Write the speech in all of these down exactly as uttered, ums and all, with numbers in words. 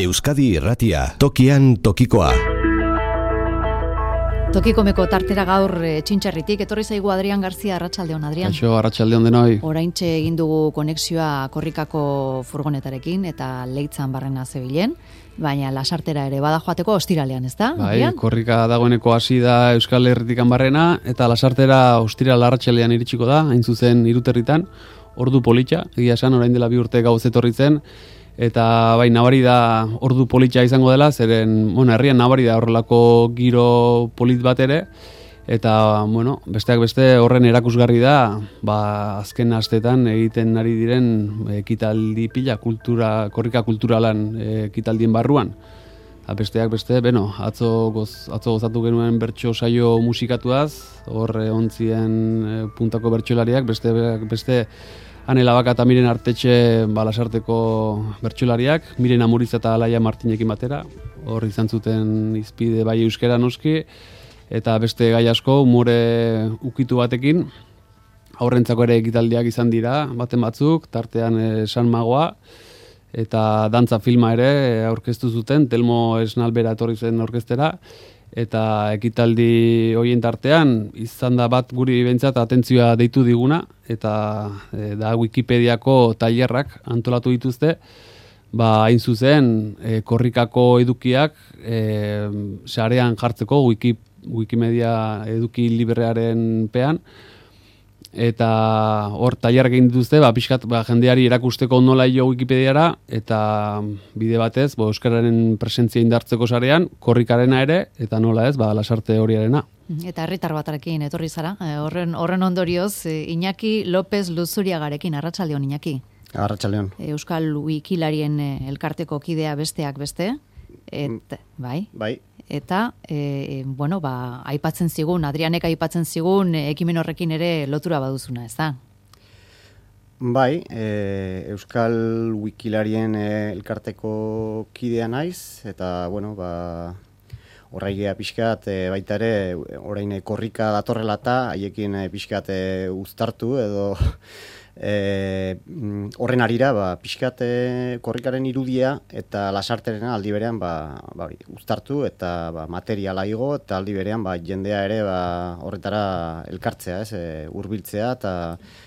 Euskadi Irratia, tokian tokikoa. Tokikomeko tartera gaur e, Txintxerritik, etorri zaigu Adrian Garzia, arratsaldeon Adrian. Kaixo, arratsaldeon denoi. Oraintxe egin dugu konexioa Korrikako furgonetarekin eta Leitzan barrena zebilen, baina Lasartera ere bada joateko ostiralean, ezta? Bai, Adrian? Korrika dagoeneko hasi da Euskal Herritikan barrena eta Lasartera ostiral arratsalean iritsiko da, hain zuzen Hiruterritan, ordu politxa, egia esan orain dela bi urte gauz etorri zen. Eta bai, nabari da ordu politxa izango dela, zeren, bueno, herrian nabari da horrelako giro polit bat ere, eta, bueno, besteak beste horren erakusgarri da, ba, azken astetan egiten ari diren ekitaldi pila, kultura, korrika kulturalan ekitaldien barruan. Eta besteak beste, beno, atzo, goz, atzo gozatu genuen bertso saio musikatuaz, horre ontzien puntako bertsolariak, beste, beste, Anela Baka eta Miren Artetxe ba, Lasarteko bertsolariak, Miren Amuriz eta Alaia Martinekin batera, hor izan zuten izpide bai euskera noski, eta beste gai asko umore ukitu batekin, aurrentzako ere ekitaldiak izan dira, baten batzuk, tartean e, San Magoa, eta dantza filma ere aurkeztu zuten, Telmo Esnalbera etorri zen orkestera, eta ekitaldi horien tartean izan da bat guri behintzat atentzioa deitu diguna, eta e, da Wikipediako tailerrak antolatu dituzte, ba hain zuzen e, korrikako edukiak e, sarean jartzeko Wiki, Wikimedia eduki librearen pean, eta hor tailerrak egin dituzte, ba, pixkat ba, jendeari erakusteko nola jo Wikipediara, eta bide batez, bo, euskararen presentzia indartzeko sarean, korrikarena ere, eta nola ez, ba, Lasarte horiarena. Eta herritar batarekin etorri zara, horren, horren ondorioz, Iñaki López Luzuriagarekin, arratsaldeon Iñaki. Arratsaldeon. Euskal Wikilarien elkarteko kidea besteak beste, et, bai? Bai. Eta, e, bueno, ba, aipatzen zigun, Adrianek aipatzen zigun, e, ekimen horrekin ere lotura baduzuna, ez da? Bai, e, Euskal Wikilarien e, elkarteko kidea naiz, eta, bueno, ba, horraigea pixkat, e, baita ere, orain korrika datorrela eta, haiekin e, pixkat e, uztartu, edo E, horren arira, ba, pixkat e, korrikaren irudia eta Lasarterena aldi berean ba, ba, uztartu eta ba, materiala igo eta aldi berean ba, jendea ere ba, horretara elkartzea, ez, e, hurbiltzea eta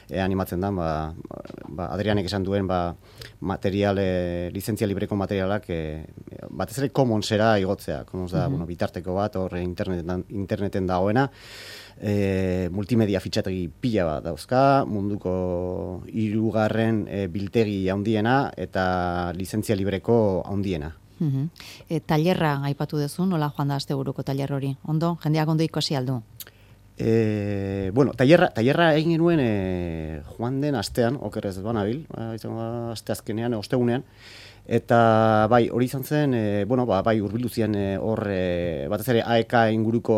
e, animatzen da, ba, ba, Adrianek esan duen ba, material, e, lizentzia libreko materialak e, batez ere commonsera igotzea, commons da, mm-hmm. bueno, bitarteko bat, hor interneten, interneten dagoena, E, multimedia fitxategi pila bat dauzka, munduko hirugarren e, biltegi handiena eta lizentzia libreko handiena. Uh-huh. E, tailerra aipatu duzu, nola joan da asteburuko tailer hori? Ondo, jendeak ondo ikusi aldu? E, bueno, tailerra, tailerra egin genuen e, joan den astean, okerrez banabil, izango da aste azkenean, ostegunean, eta bai, hori izan zen, e, bueno, ba, bai urbildu zian e, hor, e, batez ere A E K inguruko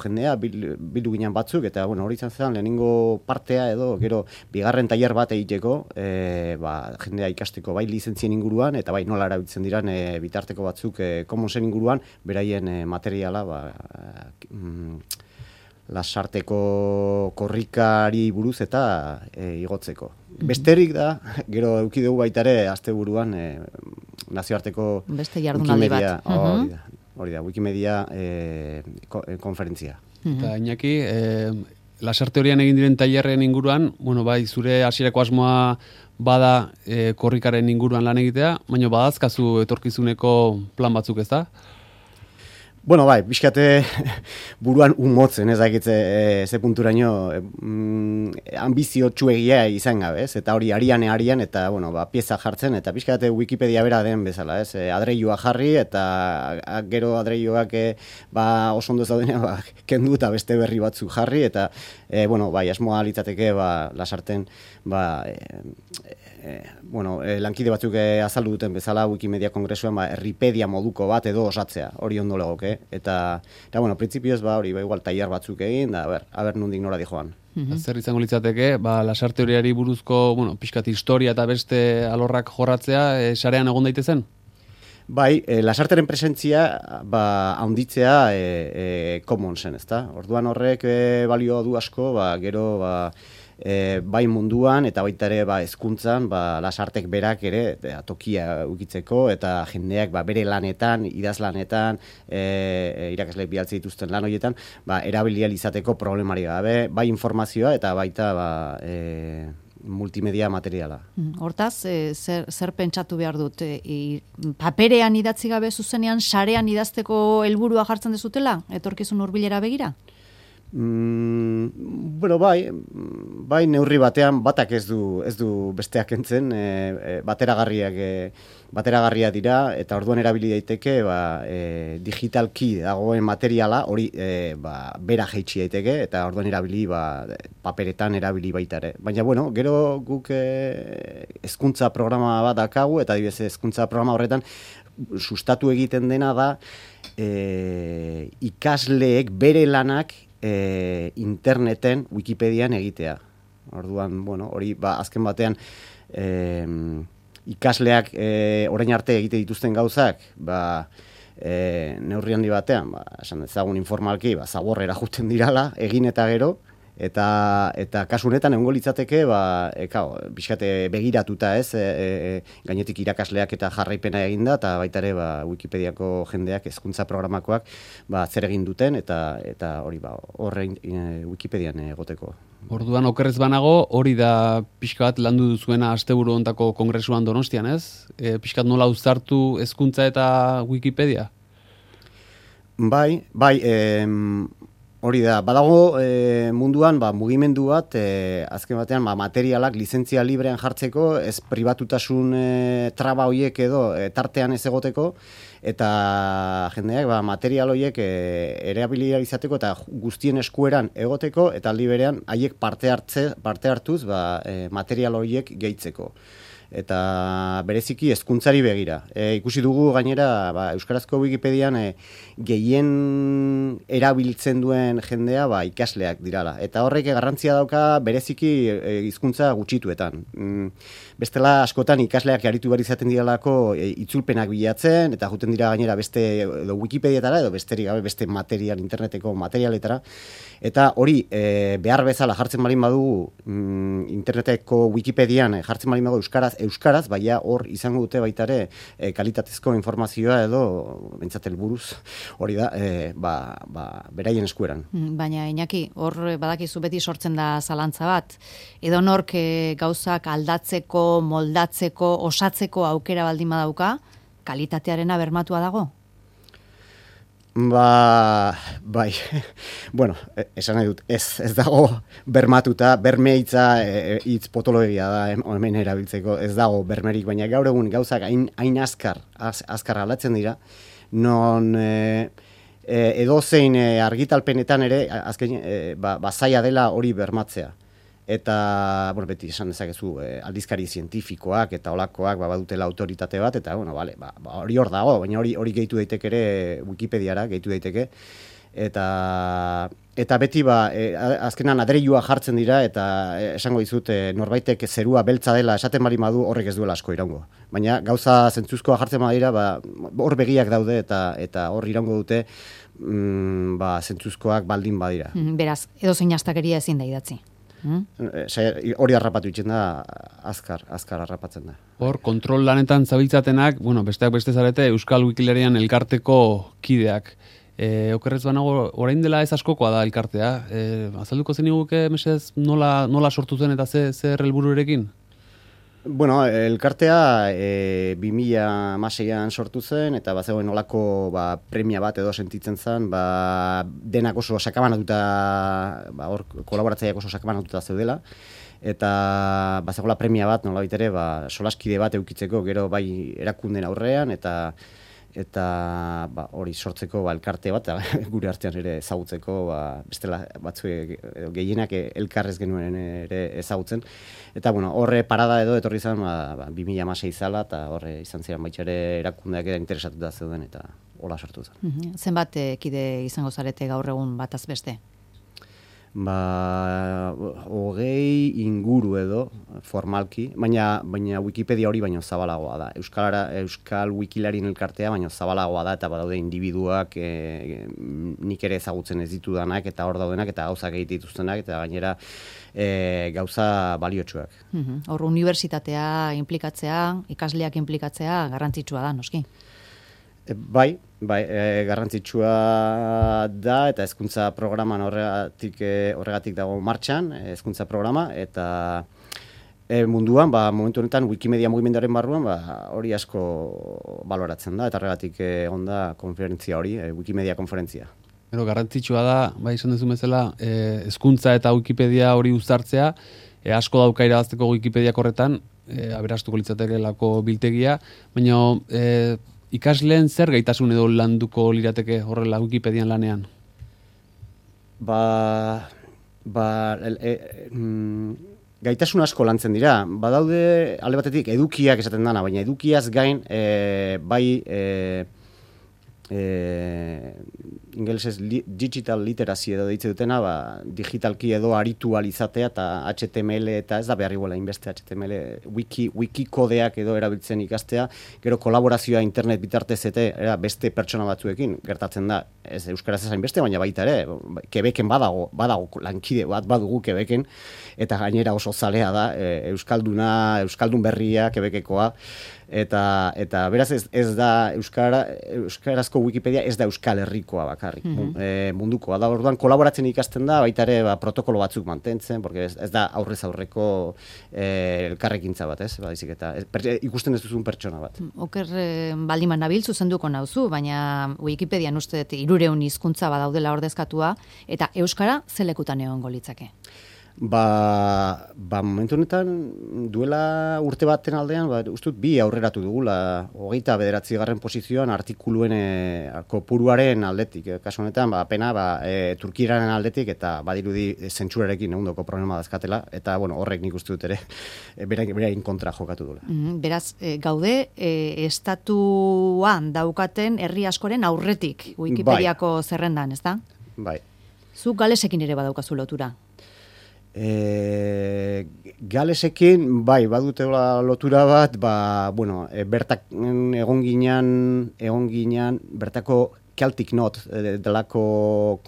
jendea, bil, bildu ginen batzuk, eta bueno, hori izan zen lehenengo partea edo, gero, bigarren tailer bat egiteko, e, ba, jendea ikasteko bai lizentzien inguruan, eta bai nola erabiltzen diran e, bitarteko batzuk e, commonsen inguruan, beraien e, materiala, ba, mm, Lasarteko korrikari buruz eta e, igotzeko. Besterik da, gero eduki dugu baita ere asteburuan e, nazioarteko beste jardunaldi bat. Hori da, hori da, Wikimedia e, ko, e, konferentzia. Eta Iñaki, e, Lasarte horian egin diren tailerren inguruan, bueno, bai, zure hasierako asmoa bada e, korrikaren inguruan lan egitea, baina badazkazu etorkizuneko plan batzuk, ez da? Bueno, bai, pixkate buruan unmotzen, ez dakitze e, ze punturaino e, mm, ambizio txuegia izan gabe, ez? Eta hori ariane arian eta, bueno, ba, pieza jartzen, eta pixkate Wikipedia bera den bezala, ez? E, adreilua jarri, eta a, gero adreilioak e, ba, oso ondo zaudenean, ba, kendu eta beste berri batzuk jarri, eta, e, bueno, bai, asmoa litzateke, ba, Lasarten, ba, e, e, bueno, e, lankide batzuk e, azaldu duten bezala Wikimedia kongresuan, ba, herripedia moduko bat edo osatzea, hori ondo legoke. Eta, eta bueno, printzipioz, ba, hori, ba, igual, tailer batzuk egin, da, ber, aber nondik nora di joan. Mm-hmm. Zer izango litzateke, ba, Lasarte horiari buruzko, bueno, pixkat historia eta beste alorrak jorratzea, e, sarean egon daitezen? Bai, e, Lasarteren presentzia, ba, haunditzea e, e, commonsen, ezta? Orduan horrek e, balio du asko, ba, gero, ba, e, bai munduan eta baita ere ba, hezkuntzan ba, lasartek berak ere e, tokia ukitzeko eta jendeak ba, bere lanetan, idazlanetan, e, irakasle bialtze dituzten lan horietan, ba, erabilial izateko problemari gabe, bai informazioa eta baita ba, e, multimedia materiala. Hortaz, e, zer, zer pentsatu behar dut? E, paperean idatzi gabe zuzenean, sarean idazteko helburua jartzen dezutela? Etorkizun hurbilera begira? Mm, bueno, bai, bai neurri batean batak ez du ez du besteak entzen, e, e, bateragarriak e, bateragarria dira eta orduan erabili daiteke ba, e, digitalki dagoen materiala hori e, ba, bera jaitsi daiteke eta orduan erabili ba, paperetan erabili baita ere. Baina bueno, gero guk e, hezkuntza programa bat dakagu eta adibidez hezkuntza programa horretan sustatu egiten dena da e, ikasleek bere lanak E, interneten, Wikipedian egitea. Orduan, bueno, hori ba, azken batean e, ikasleak e, orain arte egite dituzten gauzak, ba, e, neurri handi batean, ba, esan ezagun informalki, ba, zaborrera juten dirala, egin eta gero, eta eta kasu honetan egongo litzateke ba e, kao, pixkate begiratuta, ez, e, e, gainetik irakasleak eta jarraipena eginda eta baita ere ba, Wikipediako jendeak hezkuntza programakoak ba, zer egin duten eta eta hori ba horrein e, Wikipedian egoteko. Orduan okerrez banago, hori da pixka bat landu duzuena asteburu hontako kongresuan Donostian, ez? E, pixkat nola uztartu hezkuntza eta Wikipedia? Bai, bai, em, hori da, badago e, munduan ba, mugimendu bat, e, azken batean ba, materialak lizentzia librean jartzeko, ez pribatutasun e, traba horiek edo e, tartean ez egoteko, eta jendeak ba, material horiek e, erabilia izateko eta guztien eskueran egoteko, eta aldi berean haiek parte hartze, parte hartuz ba, e, material horiek gehitzeko. Eta bereziki hezkuntzari begira. E, ikusi dugu gainera ba, Euskarazko Wikipedian e, gehien erabiltzen duen jendea ba, ikasleak dirala. Eta horrek garrantzia dauka bereziki e, hizkuntza gutxituetan. Mm, bestela askotan ikasleak aritu behar izaten diralako e, itzulpenak bilatzen, eta juten dira gainera beste edo Wikipediatara edo besterik gabe beste material, interneteko materialetara. Eta hori e, behar bezala jartzen balin badugu mm, interneteko Wikipedian jartzen balin badugu Euskaraz, Euskaraz, baina hor izango dute baita ere e, kalitatezko informazioa edo bentsat helburuz hori da e, ba, ba, beraien eskueran. Baina Iñaki, hor badakizu beti sortzen da zalantza bat. Edo nork e, gauzak aldatzeko, moldatzeko, osatzeko aukera baldin badauka, kalitatearena bermatua dago? Ba, bai, bueno, esan nahi dut, ez, ez dago bermatuta, bermeitza e, hitz potologia da hemen erabiltzeko, ez dago bermerik, baina gaur egun gauzak hain, hain azkar, az, azkar aldatzen dira, non e, e, edozein e, argitalpenetan ere, azken, e, ba, ba zaila dela hori bermatzea. Eta, bueno, beti esan dezakezu, eh, aldizkari zientifikoak eta olakoak ba, badutela autoritate bat, eta, bueno, vale, ba, ba, hori hor dago, baina hori hori gehitu daiteke ere Wikipediara, gehitu daiteke, eta eta beti, ba, e, azkenan adreilua jartzen dira, eta e, esango dizut, e, norbaitek zerua beltza dela esaten bali madu horrek ez duela asko iraungo. Baina gauza zentzuzkoa jartzen badira, ba, hor begiak daude, eta eta hor iraungo dute, mm, ba, zentzuzkoak baldin badira. Beraz, edo zein astakeria ezin da idatzi. Hmm? Hori harrapatu itzen da, azkar, azkar harrapatzen da. Hor, kontrol lanetan zabiltzatenak, bueno, besteak beste zarete, Euskal Wikilarian elkarteko kideak. E, okerrez banago, orain dela ez askokoa da elkartea. E, azalduko zen iguke, mesez, nola, nola sortu zen eta ze, zer helbururekin? Bueno, elkartea e, bi mila hamaseian sortu zen, eta bazegoen olako ba, premia bat edo sentitzen zen, ba, denak oso sakabanatuta, ba, hor kolaboratzaileak oso sakabanatuta zeudela, eta bazegoela premia bat, nolabait ere, ba, solaskide bat eukitzeko, gero bai erakunden aurrean, eta eta ba, hori sortzeko ba, elkarte bat, gure artean ere ezagutzeko, ba, bestela batzuek gehienak elkarrez genuen ere ezagutzen. Eta bueno, horre parada edo etorri izan ba, ba, bi mila hamasei zala, eta horre izan ziren baitxare erakundeak eda interesatuta zeuden, eta hola sortu zen. Mm-hmm. Zenbat kide izango zarete gaur egun bataz beste? ba, hogei inguru edo formalki, baina baina Wikipedia hori baino zabalagoa da. Euskalara, Euskal Wikilarien elkartea baino zabalagoa da, eta badaude individuak e, nik ere ezagutzen ez ditudanak, eta hor daudenak, eta gauzak egite dituztenak, eta gainera e, gauza baliotsuak. Hor, uh-huh. Unibertsitatea implikatzea, ikasleak implikatzea garrantzitsua da, noski? E, bai, bai, e, garrantzitsua da, eta hezkuntza programan horregatik, e, horregatik dago martxan, hezkuntza programa, eta e, munduan, ba, momentu honetan Wikimedia mugimenduaren barruan, ba, hori asko baloratzen da, eta horregatik e, onda konferentzia hori, e, Wikimedia konferentzia. Pero garrantzitsua da, bai esan duzu bezala, hezkuntza e, eta Wikipedia hori uztartzea, e, asko dauka irabazteko Wikipedia horretan, e, aberastuko litzatekelako biltegia, baina e, ikasleen zer gaitasun edo landuko lirateke horrela Wikipedian lanean? Ba, ba e, e, mm, gaitasun asko lantzen dira. Badaude alde batetik edukiak esaten dana, baina edukiaz gain e, bai e, e, ingelesez li, digital literacy edo deitze dutena, ba, digitalki edo aritualizatea eta H T M L eta ez da behar iguela inbeste H T M L, wiki, wikikodeak edo erabiltzen ikastea, gero kolaborazioa internet bitartez eta era, beste pertsona batzuekin gertatzen da, ez euskaraz esain beste, baina baita ere, Quebecen badago, badago lankide bat badugu Quebecen, eta gainera oso zalea da, e, euskalduna, euskaldun berria, Quebekekoa, eta eta beraz ez, ez da euskara euskarazko Wikipedia ez da Euskal Herrikoa bakarrik, mm-hmm. e, mundukoa da. Orduan kolaboratzen ikasten da, baita ere ba, protokolo batzuk mantentzen, porque ez, ez da aurrez aurreko e, elkarrekintza bat, ez? Baizik eta ez, per, ikusten ez duzun pertsona bat. Oker eh, baldiman nabil zuzenduko nauzu, baina Wikipedian uste dut hirureun hizkuntza badaudela ordezkatua, eta euskara zelekutan egongo litzake? Ba, ba momentu honetan duela urte baten aldean, ba, ustut bi aurreratu dugula, hogeita bederatzi garren posizioan artikuluen e, kopuruaren aldetik. E, kasu honetan, ba, pena, ba, e, Turkiraren aldetik, eta badirudi zentsurarekin egundoko problema dazkatela, eta bueno, horrek nik uste dut ere, e, berain kontra jokatu dula. Mm, beraz, e, gaude, e, estatuan daukaten herri askoren aurretik, Wikipediako bai. Zerrendan, ez da? Bai. Zu galesekin ere badaukazu lotura? E, galesekin, bai, badute lotura bat, ba, bueno, e, bertak egon ginean, egon ginean, bertako Celtic Note e, delako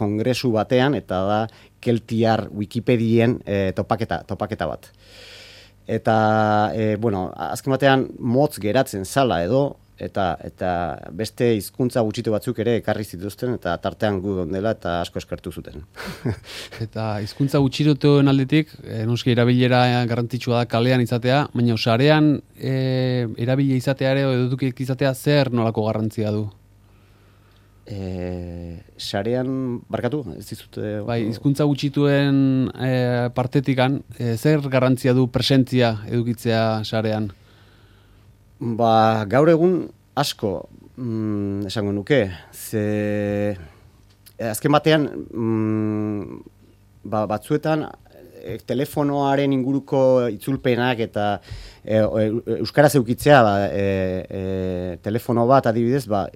kongresu batean, eta da Keltiar Wikipedien e, topaketa, topaketa bat. Eta, e, bueno, azken batean motz geratzen zala edo, eta eta beste hizkuntza gutxitu batzuk ere ekarri zituzten, eta tartean gu dela eta asko eskertu zuten. Eta hizkuntza gutxituen aldetik, e, noski erabilera garrantzitsua da kalean izatea, baina sarean e, erabile izatea ere edo edukik izatea zer nolako garrantzia du? E, sarean, barkatu, ez dizute... Bai, hizkuntza gutxituen e, partetikan, e, zer garrantzia du presentzia edukitzea sarean? Ba, gaur egun asko, mm, esango nuke, ze azken batean, mm, ba, batzuetan e, telefonoaren inguruko itzulpenak eta e, e, euskaraz eukitzea, ba, e, e, telefono bat adibidez, ba,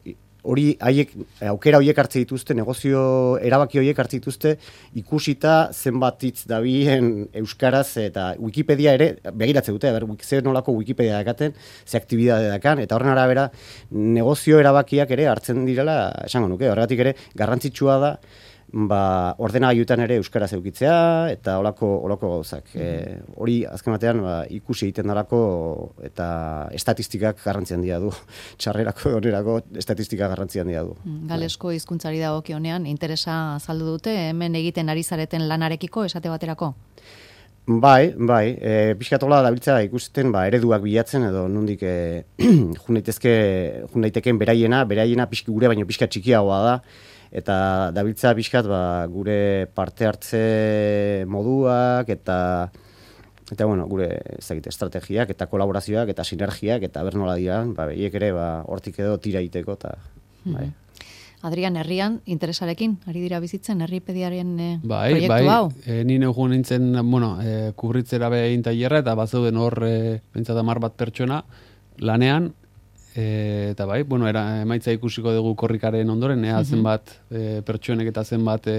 hori haiek aukera horiek hartze dituzte, negozio erabaki horiek hartze dituzte, ikusita zenbat hitz dabien euskaraz, eta Wikipedia ere begiratze dute, ber, ze nolako Wikipedia dakaten, ze aktibidade dakan, eta horren arabera negozio erabakiak ere hartzen direla, esango nuke, horregatik ere garrantzitsua da, ba, ordenagailuetan ere euskaraz eukitzea, eta olako, olako gauzak. E, hori azken batean ba, ikusi egiten dalako, eta estatistikak garrantzi handia du. Txarrerako onerako estatistikak garrantzi handia du. Galesko hizkuntzari dagokionean interesa azaldu dute, hemen egiten ari zareten lanarekiko esate baterako? Bai, bai, e, pixkatola dabiltza ikusten ba, ereduak bilatzen edo nondik e, jundaitezke, jundaiteken beraiena, beraiena pixki gure baino pixka txikiagoa da, eta dabiltza pixkat ba, gure parte hartze moduak eta eta bueno, gure ezagite estrategiak eta kolaborazioak eta sinergiak eta ber nola dira, ba hiek ere ba hortik edo tira egiteko ta bai. Adrian, herrian interesarekin ari dira bizitzen herripediaren e, bai, proiektu bai. hau. E, ni neu nintzen, bueno, e, kubritzera behin tailerra eta bazeuden hor e, pentsat hamar bat pertsona lanean E, eta bai, bueno, era, emaitza ikusiko dugu korrikaren ondoren, ea zenbat e, pertsonek eta zenbat e,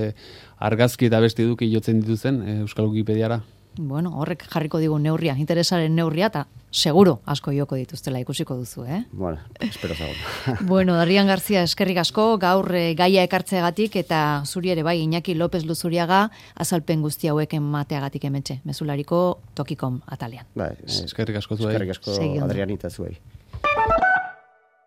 argazki eta besti duki jotzen dituzen e, Euskal Wikipediara. Bueno, horrek jarriko digu neurria, interesaren neurria, eta seguro asko joko dituztela ikusiko duzu, eh? Bueno, espero zago. Bueno, Adrian Garzia, eskerrik asko, gaur e, gaia ekartzeagatik, eta zuri ere bai, Iñaki López Luzuriaga, azalpen guzti hauek emateagatik hementxe, mezulariko Tokikom atalean. Bai, eskerrik asko zuei. Eskerrik asko Adrianita zuei.